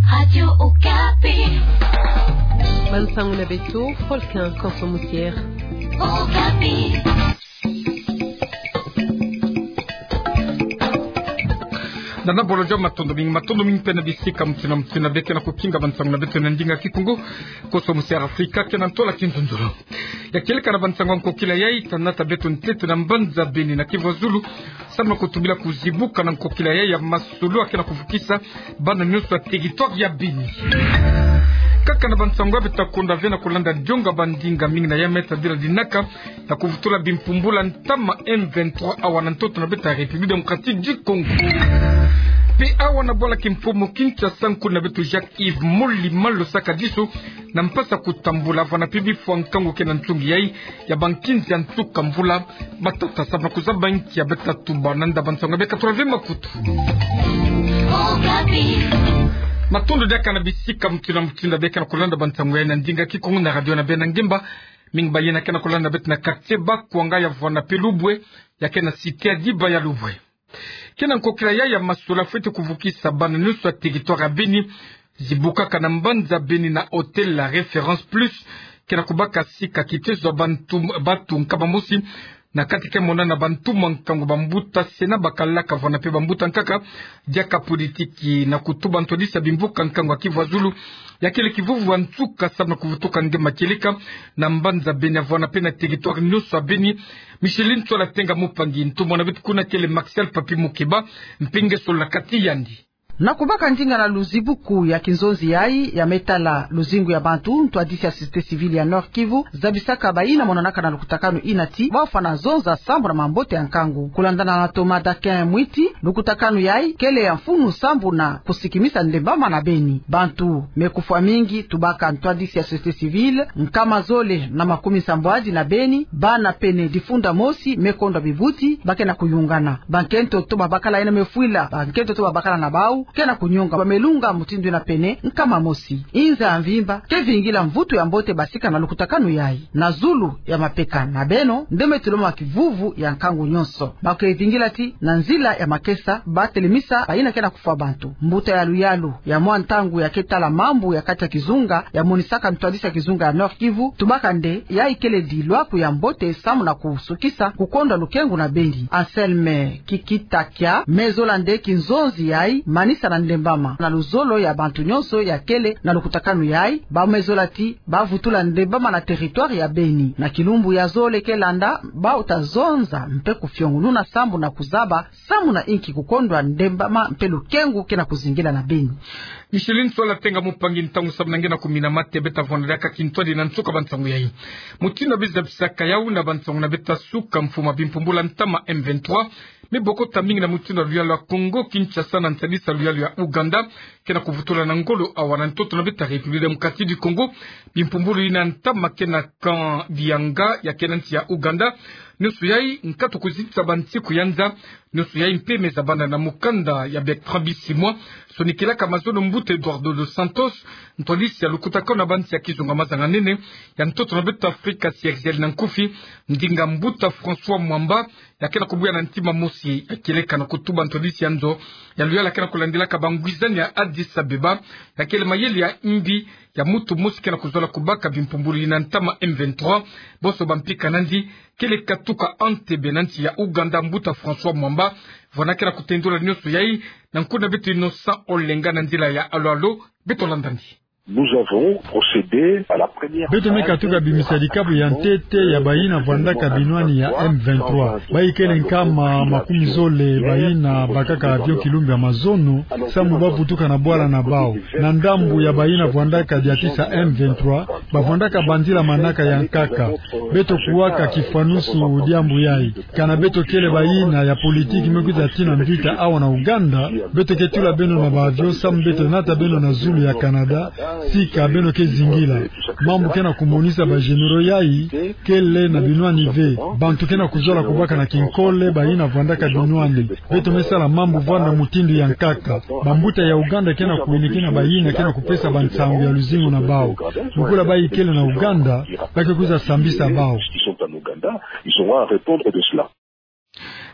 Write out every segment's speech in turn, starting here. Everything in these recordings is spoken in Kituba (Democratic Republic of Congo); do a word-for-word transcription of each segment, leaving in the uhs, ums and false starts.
Radio Okapi. Bansango na beto, Volcan Konso Musier. Okapi. Nana bolo jo, matondo mingi, matondo mingi mpe na bisika mutuna mutuna beke na kukinga bansango na beto na ndinga Kikongo. Konso Musier Afrika, ke na ntola kinzonzolo. Ya kieleka na bansango ya nkokila yayi, ta nata beto ntete na mbanza Beni na Kivu ya Zulu, samu na kutubila kuzibuka na nkokila yayi ya masolo ya ke na kuvukisa bana nyonso ya territoire ya Beni. Kaka na bansango ya beto ta konda ve na kulanda ndionga bandinga mingi na ya me ta dila dinaka na kuvutula bimpumbula ntama M vingt-trois awa na ntoto na beto ya République Démocratique du Congo. Mpe awa na bwala kimfumu Kinshasa, nkuna beto Jacques Yves Moli Malo Sakadiso na mpasi ya kutambula vana mpe bifwa nkangu ke na ntungi yayi ya bankinzi ya nsuka mvula. Matata samu na kuzaba nki ya beta tuba na nda bansango ya beka tula ve makutu. Matondo diaka na bisika mutuna mutuna beke na kulanda bansango yayi na ndinga Kikongo na radio na beno ya ngemba. Mingi bayina ke na kulanda beto na quartier Bakwanga ya vwanda mpe Lubwe, ya ke na cité ya Diba ya Lubwe. Ke na nkokila yayi ya masolo fweti kuvukisa bana nyonso ya territoire ya Beni, zibukaka na mbanza Beni na hôtel La Référence Plus, ke na kubaka sika kitezo ya bantu, batu nkama mosi, na kati ke mona na bantu mwa nkangu, bambuta se na bakalaka vana mpe bambuta nkaka, diaka politiki, na kutuba ntwadisi ya bimvuka nkangu ya Kivu ya Zulu, ya kele kivuvu ya nsuka samu na kuvutuka nge makieleka na mbanza Beni ya vwanda mpe na territoire nyonso ya Beni. Micheline Ntsola Tenga Mupangi, ntumwa na beto kuna kele Martial Papi Mukeba, mpe nge solola kati yandi. Na kubaka ndinga na luzibuku ya kinzonzi yayi ya me tala luzingu ya bantu, ntwadisi ya société civile ya Nord-Kivu zabisaka bayina monanaka na lukutakanu yina ti bafwana zonza sambu na mambote ya nkangu. Kulandana na Thomas Daquin Mwiti, lukutakanu yayi kele ya mfunu sambu na kusikimisa ndembama na Beni. Bantu me kufwa mingi, tubaka ntwadisi ya société civile, nkama zole na makumi nsambwadi na Beni, bana pene difunda mosi me kondwa bibuti, ba ke na kuyungana. Bankento to babakala yina me fwila bankento to babakala na bau ke na kunyonga, ba me lunga mutindu yina pene nkama mosi. Inza ya mvimba ke vingila mvutu ya mbote basika na lukutakanu yayi. Na zulu ya mapeka na beno nde me tulama kivuvu ya nkangu nyonso. Ba ke vingila ti na nzila ya makesa ba telemisa bayina ke na kufwa bantu. Mbuta ya luyalu ya mwa ntangu ya ke tala mambu ya kati ya kizunga, ya monisaka ntwadisi ya kizunga ya Nord-Kivu, tubaka nde yayi kele dilwaku ya mbote samu na kusukisa kukondwa lukengu na Beni. Anselme Kikitakia me zola nde kinzonzi yayi manisa na ndembama na luzolo ya bantu nyonso ya kele na lukutakanu yayi. Ba me zola ti ba vutula ndembama na territoire ya Beni. Na kilumbu ya zole ke landa, bau ta zonza mpe kufiongununa sambu na kuzaba samu na inki kukondwa ndembama mpe lukengu ke na kuzingila na Beni. Micheline Ntsola Tenga Mupangi, ntangu samu na nge na kumina mate. Beta vwanda diaka kintwadi na nsuka bansangu yayi. Mutindu beno zabisaka yawu na bansangu na beta suka, mfumu ya bimpumbula ntama M vingt-trois me bokota mingi na mutindu ya luyalu ya Congo Kinshasa na nsadisa luyalu ya Ouganda, ke na kuvutula na ngolo awa na ntoto na beta République Démocratique du Congo. Bimpumbulu yina ntama ke na camp Dianga ya ke na nsi ya Ouganda. Nyonso yayi nkatu kuzitisa bansiku ya nza. Nyonso yayi mpe me zabanda na mukanda ya Bertrand Bisimwa, sonikilaka mazono mbuta Eduardo dos Santos, ntwadisi ya lukutakanu na bansi ya kizunga mazanga nene ya ntoto na beto Afrika, Cyril na nkufi, ndinga mbuta François Mwamba, ya ke na kubuya na ntima mosi, ya kieleka na kutuba ntwadisi ya nzo ya luyalu ke na kulandilaka bangwizani ya Addis Abeba, ya kele mayele ya mbi ya mutu mosi ke na kuzola kubaka bimpumbulu yina ntama M vingt-trois. Bonso bampika nandi, kele katuka Entebbe na nsi ya Ouganda, mbuta François Mwamba, vwanda ke na kutendula nyonso yayi na nkuna beto Innocent Olenga na nzila ya alo-alo. Beto landa ndi. Nous avons procédé à la première phase de rapatriement. Beto me katuka bimisa dikabu ya ntete ya bayina vwandaka binwani ya M vingt-trois. Bayi kele nkama makumi zole bayina bakaka avion kilumbu ya mazono, sambu ba vutuka na bwala na bau. Na ndambu ya bayina vwandaka diatisa M vingt-trois, ba vwandaka banzila manaka ya nkaka. Beto kuwaka kifwanusu diambu yayi. Kana beto kele bayina ya politiki me kwiza tina mvita awa na Ouganda, beto ke tula beno na ba avion sambu beto nata beno na zulu ya Canada, sika beno ke zingila. Mambu ke na kumonisa ba généraux yayi, kele na binwani ve. Bantu ke na kuzola kubaka na kinkole bayina vwandaka binwani. Beto me sala mambu vwanda mutindu ya nkaka. Bambuta ya Ouganda ke na kuwiniki na bayina ke na kupesa bansangu ya luzingu na bau. Lokola bayi kele na Ouganda, ba ke kwiza sambisa bau. Ils sont en Ouganda, ils auront à répondre de cela.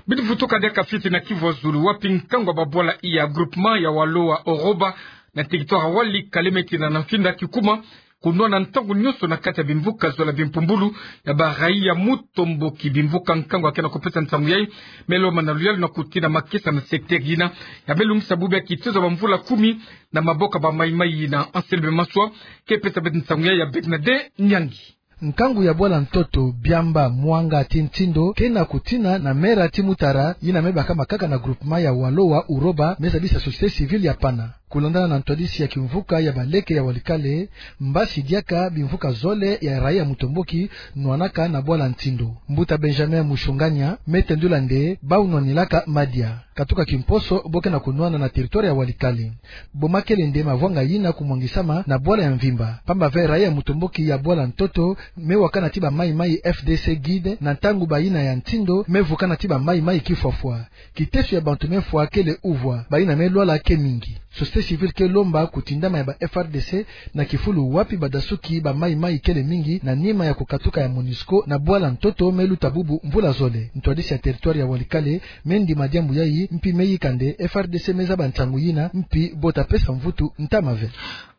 Beto vutuka diaka fioti na Kivu ya Zulu, wapi nkangu ya babwala iya groupement ya Waloa Oroba na territoire ya Walikale me tina na mfinda kikuma kunwana ntangu nyonso na kati ya bimvuka zole ya bimpumbulu ya baraia mutomboki. Bimvuka nkangu ya ke na kupesa nsangu yai me lomba na luyalu na kutina makesa na secteur yina ya me lungisa bubu ya kitezo ya bamvula kumi na maboko ya bamaimai yina. Anselme Maswa ke pesa beto nsangu yai ya Bernadette Nyangi. Nkangu ya bwala ntoto, Biamba, Mwanga ti Ntindo ke na kutina na Mera ti Mutara, yina me bakama kaka na groupement ya Walowa Uroba, me zabisa société civile ya Pana. Kulandana na ntwadisi ya kimvuka ya baleke ya Walikale, mbasi diaka bimvuka zole ya raia mutomboki nwanaka na bwala Ntindo. Mbuta Benjamin Mushunganya me tendula nde bau nwanilaka madia. Katuka kimposo bo ke na kunwana na territoire ya Walikale. Bo makele nde mavwanga yina kumwangisama na bwala ya mvimba. Pamba ve raia mutomboki ya bwala ntoto me wakana ti bamaimai F D C guide na ntangu bayina ya Ntindo me vukana ti bamaimai kifwafwa. Kiteso ya bantu me fwa kele uvwa, bayina me lwala ke mingi. Société civile ke lomba kutindama ya ba F R D C na kifulu wapi badasuki bamaimai kele mingi na nima ya kukatuka ya MONUSCO na bwala ntoto me luta bubu mvula zole. Ntwadisi ya territoire ya Walikale me ndima diambu yai, mpi me yika nde F R D C me zaba nsangu yina, mpi bo ta pesa mvutu ntama ve.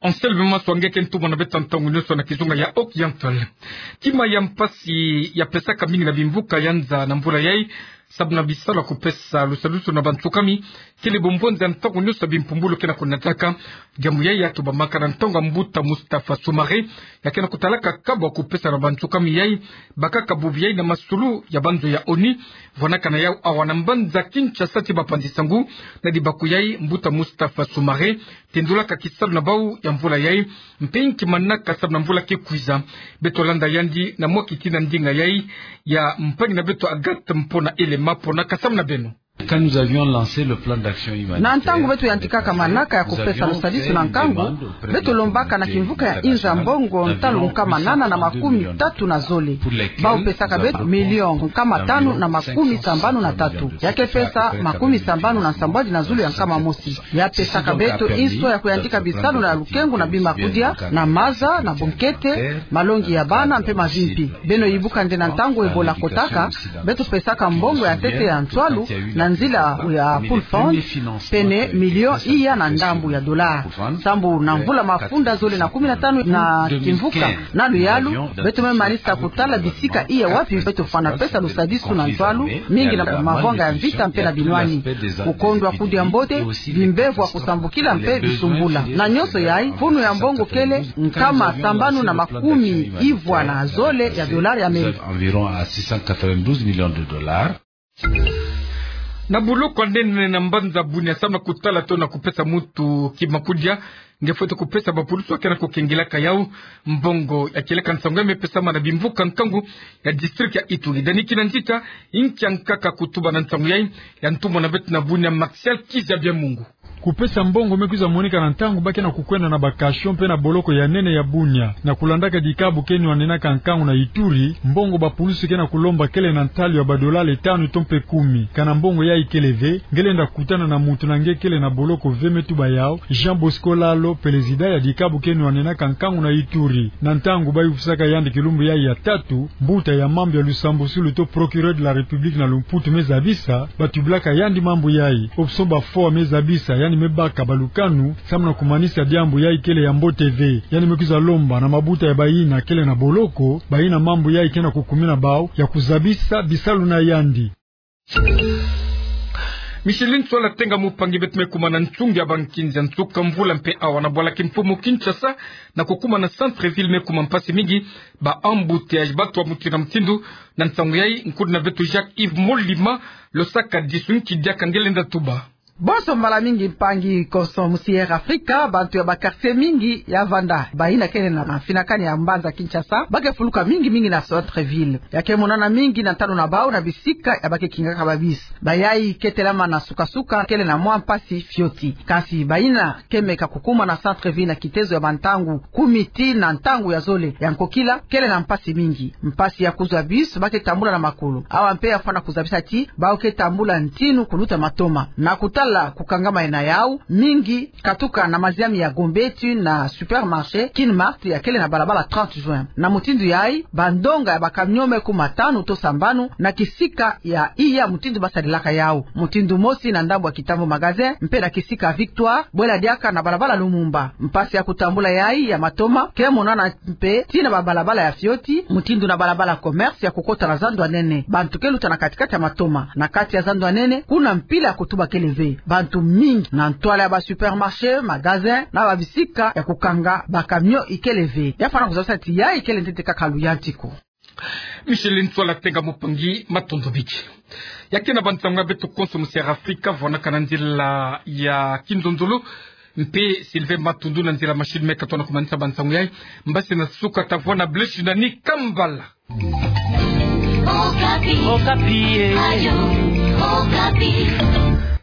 Anselme Maswa nge ke ntumwa na beto ntangu nyonso na kizunga ya Oriental. Kima ya mpasi ya pesaka mingi na bimvuka ya nza na mvula yai, sabu na bisalu ya kupesa lusadusu na bansukami, kele bombonza ntangu nyonso ya bimpumbulu ke na kunataka. Diambu yai ya tubamaka na ntangu ya mbuta Mustafa Soumare, ya ke na kutalaka kabu ya kupesa na bansukami yai bakaka bubu yai na masulu ya banzo ya ONU, vwanaka na yau awa na mbanza Kinshasa ti bapanzi nsangu. Na dibaku yai, mbuta Mustafa Soumare tendulaka kisalu na bau ya mvula yai, mpe nki manaka sabu na mvula ke kwiza. Beto landa yandi na mwa kiti na ndinga yai ya mpangi na beto Agathe Mpona Elema. Mpona, kasamu na beno. Quand nous avions lancé le plan d'action humanitaire, na ntangu beto yantikaka manaka ya kupesa lusadisu na nkangu, beto lombaka na kimvuka ya inza mbongo ntalu nkama nana na makumi tatu na zole. Bau pesaka beto million nkama tanu na makumi sambanu na tatu. Ya ke pesa makumi sambanu na nsambwadi na zulu ya nkama mosi. Ya pesaka beto inso ya kuyantika bisalu na lukengu na bima kudia, na maza, na bonkete, malongi ya bana mpe mavimpi. Beno yibuka nde na ntangu Ebola kotaka, beto pesaka mbongo ya ntete ya nswalu na nzila ya Pool Fund, pene million iya na ndambu ya dollar. Sambu na mvula mafunda zole na kumi na tanu na kimvuka na luyalu, beto me manisa kutala bisika iya wapi beto fwana pesa lusadisu na nswalu, mingi na mavwanga ya mvita mpe na binwani. Kukondwa kudia mbote, bimbevo ya kusambukila mpe bisumbula. Na nyonso yai, funu ya mbongo kele nkama sambanu na makumi ivwa na zole ya dollar ya Amerika. Environ à six cent quatre-vingt-douze millions de dollars. Na boloko ya nene na mbanza Bunia, samu na kutala to na kupesa muntu kima kudia, nge fwete kupesa bapulusu ya ke na kukengelaka yau. Mbongo ya kieleka nsangu yai me pesama na bimvuka nkangu ya district ya Ituri. Dani Kinanzita, inki ya nkaka kutuba na nsangu yai, ya ntumwa na beto na Bunia Martial Kizabia Mungu. Kupesa mbongo me kwiza moneka na ntangu ba ke na kukwenda na ba cachot mpe na boloko ya nene ya Bunia, na kulandaka dikabu ke nwanenaka nkangu na Ituri. Mbongo bapulusu ke na kulomba kele na ntalu ya ba dollar tanu to mpe kumi. Kana mbongo yai kele ve, nge lenda kutana na muntu na nge kele na boloko ve me tuba yau, Jean Bosco Lalo, président ya dikabu ke nwanenaka nkangu na Ituri. Na ntangu ba yufisaka yandi kilumbu yai ya tatu, mbuta ya mambu ya lusambusulu to procureur de la République na lumputu me zabisa, ba tubilaka yandi mambu yai. Option ba foi me zabisa, yandi me baka balukanu samu na kumanisa diambu yai kele ya mbote ve. Yandi me kwiza lomba na mabuta ya bayina kele na boloko, bayina mambu yai ke na kukumina bau, ya kuzabisa bisalu na yandi. Micheline Nswala Tenga, mupangi beto, me kuma na nsungi ya bankinzi ya nsuka mvula mpe awa na bwala kimfumu Kinshasa, na kukuma na centre-ville me kuma mpasi mingi, ba embouteillages, bato ya mutindu na mutindu. Na nsangu yai, nkundi na beto Jacques Yves Molima Losaka disu. Nki diaka nge lenda tuba? Bonso mbala mingi, mpangi, konso mu Sierra Africa, bantu ya ba quartier mingi ya vanda, bayina kele na mafinakani ya mbanza Kinshasa, ba ke fuluka mingi mingi na centre-ville. Ya ke monana mingi na ntalu na bau na bisika ya ba ke kingaka ba bus. Bayai ke telama na suka-suka kele na mwa mpasi fioti. Kasi bayina ke meka kukuma na centre-ville na kitezo ya bantangu kumi tii na ntangu ya zole ya nkokila, kele na mpasi mingi. Mpasi ya kuzwa bus, ba ke tambula na makolo. Awa mpe ya fwana kuzabisa ti bau ke tambula ntinu kuluta matoma. Na kuta sala kukangama ena yau, mingi katuka na maziami ya Gombe tii na supermarché Kinmart ya kele na balabala trente juin. Na mutindu yayi, bandonga ya bacamion me kuma tanu tosa mbanu na kisika ya iya mutindu basadilaka yau. Mutindu mosi na ndambu ya Kitambo Magasin, mpe na kisika Victoire, bwela diaka na balabala Lumumba. Mpasi ya kutambula yayi ya matoma ke monana mpe tii na babalabala ya fioti, mutindu na balabala Commerce ya kukota na zandu ya nene. Bantu ke luta na kati-kati ya matoma. Na kati ya zandu ya nene, kuna mpila ya kutuba kele ve. Bantu mingi na ntwala ya basupermarché, magasin, na babisika ya kukanga bacamion ikele ve. Ya fwana kuzabisa ti yayi kele ntete kaka luyantiku. Micheline Ntsoila Tenga Mupangi, matondo mingi. Ya ke na bansangu ya beto konso musi ya Afrika, vwanaka na nzila ya kinzonzolo. Mpe Sylvain Matundu na nzila machine me katona kumanisa bansangu yayi. Mbasi na suka ta vwa na Blaise na ni kambala. Okapi. Okapi, eh. Radio Okapi.